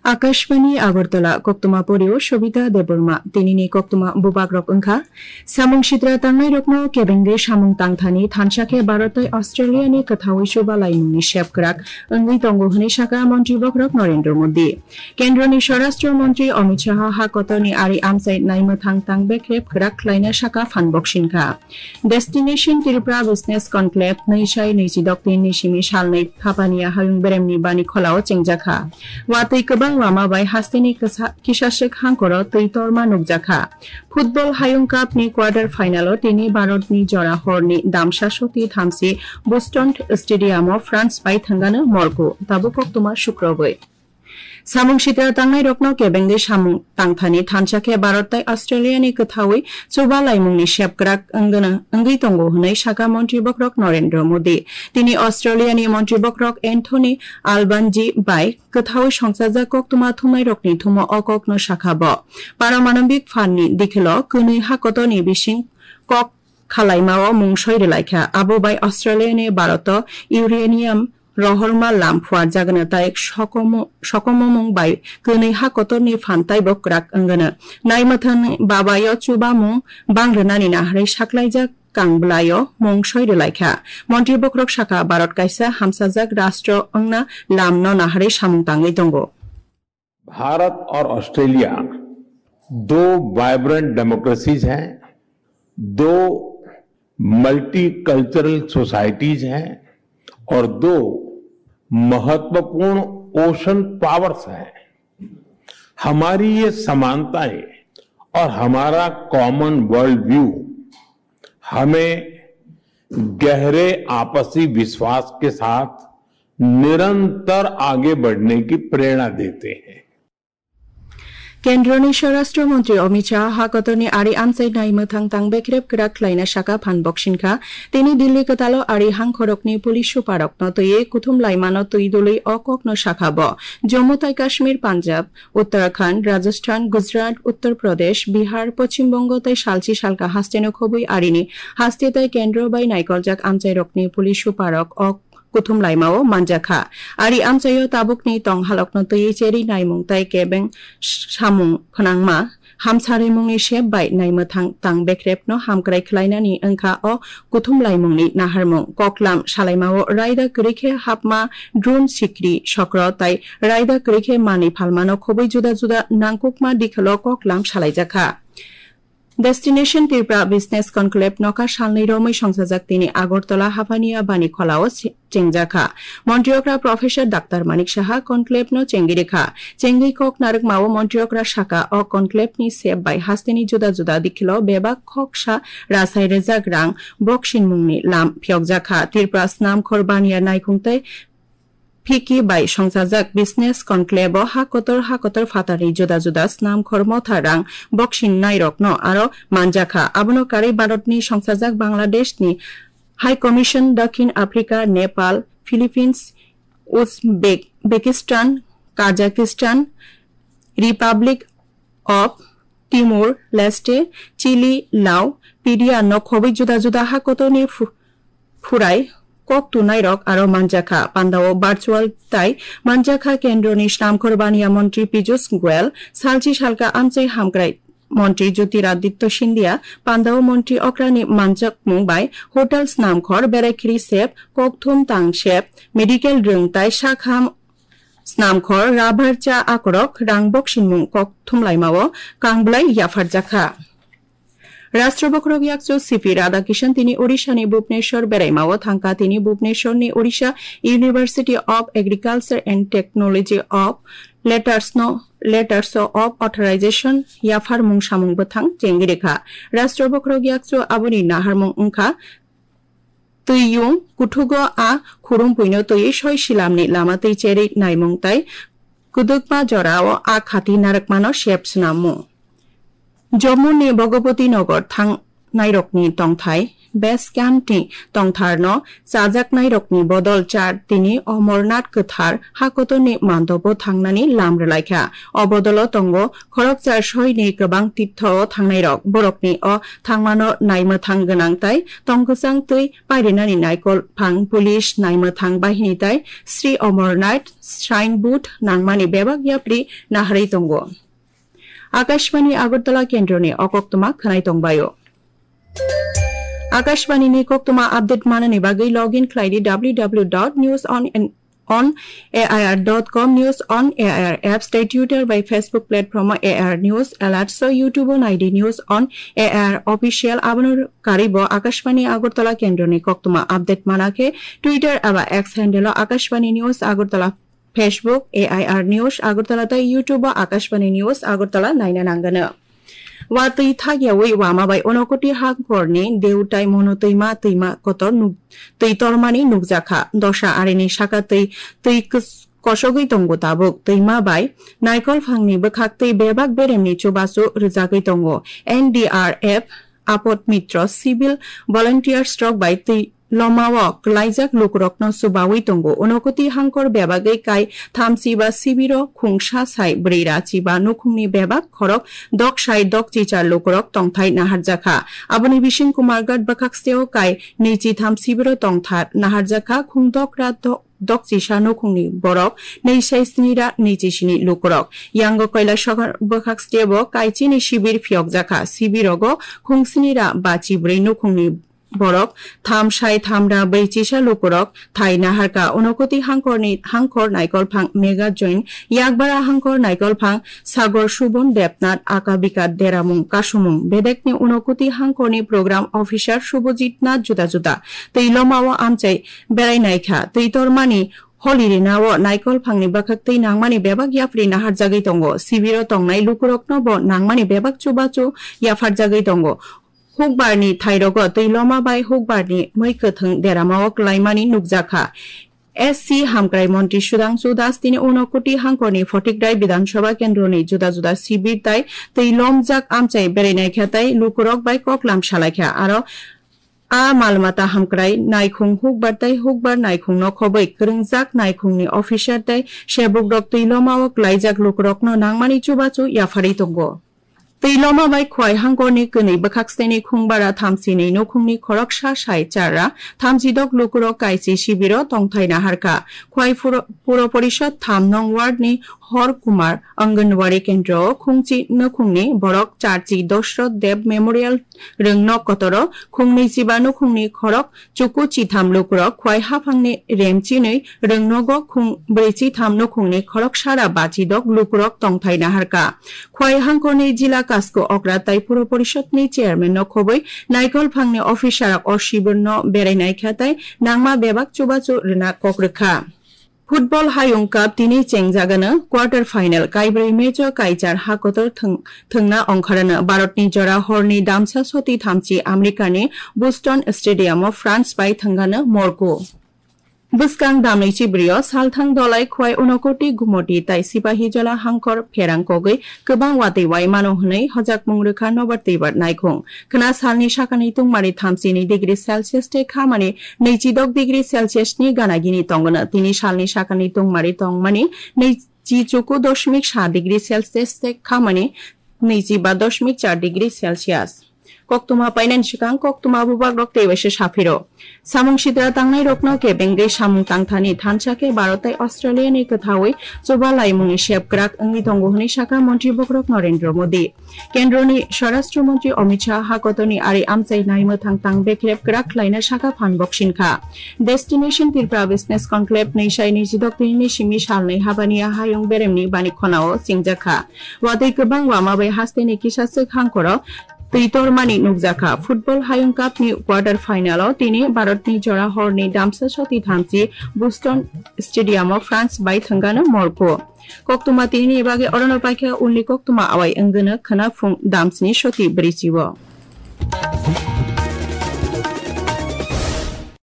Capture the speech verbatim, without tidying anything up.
Akashbani Agartala, koktwma porio Shobita Debbarma. Tinini koktwma bubagrok wngkha: Samung sitra tangnairokno kebengwi samung tangthani thansa khe Bharat tei Australia ni kwthaui chuba laimungni sep kwrak wngwi tongo hwnwi sakha Montri Bokhorok Narendra Modi. Kendroni Swarashtra Montri Amit Shah ha kotorni ari amchai naimwthang tang bekrep kwrak khlaina sakha phan boksin kha. Destination Tripura Business Conclave nwi sai nwi chi dok tin ni simi salnwi Phapania hayung beremni bani kholao chengjakha. Watwi kwbang lama bai hasteni kisa-, kisaswk hangkoro twi torma nukjakha. Football Hayung Cup ni quarter final o tini Bharat ni jora horni damsa soti thamsi Boston Stadium o France bai thangano Morocco. Tabuk koktwma sukrobwi. Samung sitra tangnairokno kebengwi samung tangthani thansa khe Bharat tei Australia ni kwthaui chuba laimungni sep kwrak wngwi tongo hwnwi sakha Montri Bokhorok Narendra Modi. Tini Australia ni Montri Bokhorok Anthony Albanese bai kwthaui songchajak koktwma thumnairokni thumo o kokno sakha bo. Paramanobik phan ni dikhilo kwnwi ha kotorni bising kok khalaimao mung soi rwlaikha. Abo bai Australia ni Bharat o uranium rohorma lam phuarjagano tei sokomo-, sokomomung bai kwnwi ha kotorni phan taibo kwrak wngano. Naimwthang babayo chubamung bang rwnani naharwi saklaijak kang bwlaio mung soi rwlaikha. Montri Bokhorok sakha, Bharat kaisa hamsajak rastro wngna lamno naharwi samung tangwi tongo. Bharat और ऑस्ट्रेलिया दो vibrant democracies हैं, दो multicultural societies हैं और दो महत्वपूर्ण ocean powers हैं। हमारी ये समानताएं और हमारा कॉमन वर्ल्ड व्यू हमें गहरे आपसी विश्वास के साथ निरंतर आगे बढ़ने की प्रेरणा देते हैं। Kendroni Swarashtra Montri Amit Shah ha kotorni ari amchai naimwthang tang bekrep kwrak khlaina sakha phan boksin kha. Tini Delhi kwtalo ari hangkhorokni police superrokno twiwi kuthum laimano twi dului o kokno sakha bo. Jammu tai Kashmir, Punjab, Uttarakhand, Rajasthan, Gujarat, Uttar Pradesh, Bihar, Poschim Bongo tei salchi salka hasteno khobwi arini haste tei kendro bai naikoljak amchairokni police superrok o kuthum laimao manjakha. Ari amchaio tabukni tong halokno twiwi cherwi naimung tei kebeng samung phnangma hamsarimungni sep bai naimwthang tang bekrepno hamkrai khlainani wngkha o kuthum laimungni naharmung. Koklam salaimao raida kwrwi khe hapma, drone, sikri, sokro tei raida kwrwi khe manwi phalmano khobwi juda juda nangkukma dikholo koklam salaijakha. Destination Tripura Business Conclave nokha salnwi romwi songchajak tini Agartala Haphania bani kholao se-, chengjakha. Montri okra Professor Doctor Manik Saha conclave no chengwi rikha. Chengwi kok narwkmao montri okra sakha, o conclave ni sep bai hasteni juda juda dikhilo bebak khoksa rasai rwjak rang boksinmungni lam phiyokjakha. Tripura Snamkhor Baniya Naikhung tei Phiki bai songchajak business conclave o ha kotor ha kotor phatarni juda juda snamkhor motha rang boksin nairokno aro manjakha. Abono karwi Bharatni songchajak Bangladeshni High Commission, Dakhin Africa, Nepal, Philippines, Uzbekistan, Kazakhstan, Republic of Timor Leste, Chile, Lao, Peru no khobwi juda juda ha kotorni phu-, phurai kok tunairok aro manjakha. Pandao virtual tai manjakha kendroni snamkhor baniya montri Piyush Goyal, salchi salka amchai hamkrai montri Jyotiraditya Scindia, pandao montri okrani manjakmung bai hotel snamkhor, berai khiri sep, kokthum tang sep, medical rwng tai sakham snamkhor, rabar cha akorok, rang boksinmung kok thumlaimao kangblai yapharjakha. Rashtra Bokhorok Yakchu C P Radhakishan tini Odisha ni Bhubaneswar beraimao thangkha. Tini Bhubaneswar ni Odisha University of Agriculture and Technology of Letters no, Letters of Authorization yapharmung samung bwthang chengwi rikha. Rashtra Bokhorok Yakchu aboni naharmung wngkha Twiyung kuthugo a khurumpuino twiwi soi silamni lama twi cherwi naimung tai kwdwkma jorao a khati narwkmano sep swnamung. Jammu ni Bhagapati Nagar thangnairokni tongthai base camp ni tongthar no chajaknai rokni bodol char tini Omornath kwthar hakotor ni mandobo thangnani lam rwlaikha. O bodolo tongo khoroksa soi ni kwbang tirtho o thangnai rok. Borokni o thangmano naimwthang gwnang tai tongkwchang twi pairinani naikol phang, police, naimwthang bahini tai Sri Omornath Shrine Board nangmani bebak yapri naharwi tongo. Akashbani Agartala kendroni o koktwma khwnai tongbaio. Akashbani ni koktwma update manani bagwi login khlai di w w w dot news on on A I R dot com, News on A I R apps tei Twitter bai Facebook platform o A I R News Alerts o YouTube o nai di News on A I R Official. Abono karwi bo Akashbani Agartala kendroni koktwma update mana khe Twitter eba X handle o Akashbani News Agartala, Facebook A I R News Agartala tei YouTube o Akashbani News Agartala naina nangano. Watwi thakyawi wama bai Unakoti hangkorni Deutai Mono twima, twima kotor nuk-, twi tormani nukjakha. Dosa arini saka twi, twi kos-, kosogwi tongo tabuk. Twima bai naikol phangni bwkhak twi bebak beremni chubachu rwjagwi tongo. N D R F, Apod Mitro, civil volunteers rok bai twi lomao kwlaijak lukurokno chubawi tongo. Unakoti hangkor bebagwi kai thamchi ba sibiro khungsa sai bwrwi ra chiba nukhungni bebak khorok dok sai dok chichar lukurok tongthai naharjakha. Aboni bising Kumarghat bwkhaksteo kai nwichi tham sibiro tongthar naharjakha. Khungdok ra do-, dok chisa nukhungni borok nwi sai sni ra nwichi sini lukurok. Yango Kailasahar bwkhakstebo kai chini sibir phiyokjakha. Sibirogo khungsni ra bachi bwrwi nukhungni borok tham sai tham ra bwrwi chisa lukurok thai naharkha. Unakoti hangkorni hangkor naikol phang Mega Join, Yakbara hangkor naikol phang Sagor Subon Debnath, Aka Bika Deramung Kasumung. Bedekni Unakoti hangkorni program officer Subhajit Nath juda juda twi lomao amchai berai naikha. Twi tormani holi rinao naikol phangni bwkhak twi nangmani bebak yapri naharjagwi tongo. Sibiro tongnai lukurokno bo nangmani bebak chubachu yapharjagwi tongo. Hukbarni thairogo twi loma bai hukbarni mwi kwthwng deramao kwlaimani nukjakha. S C Hamkrai Montri Sudhangshu Das tini Unakoti hangkorni Photikrai Bidhan Sabha kendroni juda juda sibir tai twi lomjak amchai berai naikha tai lukurok bai koklam salaikha. Aro a mal mata hamkrai naikhung hukbar tai hukbar naikhungno khobwi kwrwngjak naikhungni officer tai sebukrok twi lomao kwlaijak lukurokno nangmani chubachu yapharwi tongo. Twi loma bai Khwai hangkorni kwnwi bwkhak steni khungbara thamchinwi nukhungni khoroksa sai charra thamchidok lukurok kaisi sibiro tongthai naharkha. Khwai Puro, Puro Porishod tham nong ward ni Hor Kumar Anganwadi kendro o khungchi nukhungni borok charchi Dosroth Deb Memorial rwngnok kotoro khungnwi chiba nukhungni khorok chuku chitham lukurok Khwai haphangni remchinwi rwngnogo khung brwi chitham nukhungni khorok sara bachidok lukurok tongthai naharkha. Khwai hangkorni jila Kasko Okra tai Puro Porishod ni chairman no khobwi naikol phangni officer rok o sibirno berai naikha tai nangma bebak chubachu rwna kok rwkha. Football Hayung Cup tini chengjagano quarter final, kaibrwi match o kaichar hakotor thwng-, thwngna ongkharano. Bharatni jora horni damsa soti thamchi Americani Boston Stadium o France bai thwngano Morocco. Bwskang damni chibrio salthang dolai Khwai Unakoti Gumoti tai Sipahijola hangkor pherang kogwi kwbang watwi wai mano hwnwi hojakmung rwkha nobar twibar naikhung. Khwna salni sakani tungmani thamchini degree Celsius tei khamani nwichidok degree Celsius ni gana gini tongwno. Tini salni sakani tungmani tongmani nwichi chuku dosmik sa degree Celsius tei khamani nwichi ba dosmik char degree Celsius. Koktwma painani swkang koktwma bubagrok tei waisa saphiro. Samung sitra tangnai rokno kebengwi samung tangthani thansa khe Bharat tei Australia ni kwthawi chuba laimungni sep kwrak wngwi tongo hwnwi sakha montri bokrok Narendra Modi. Kendroni Swarashtra Montri Amit Shah hakotorni ari amchai naimwthang tang bekrep kwrak khlaina sakha phan boksing kha. Destination Tripura Business Conclave nwi sai nwichidok tini simi salnwi habani hayung beremni bani khonao chengjakha. Watwi kwbang wama bai hasteni kisa swk hangkoro twi tormani nukjakha. Football Hayung Cup ni quarter final o tini Bharat ni jora horni damsa soti thamchi Boston Stadium o France bai thwngano Morocco. Koktwma tini ni bagwi orono paikha, ulni koktwma awai wngwno khwna phung damsni soti bwrwichi o.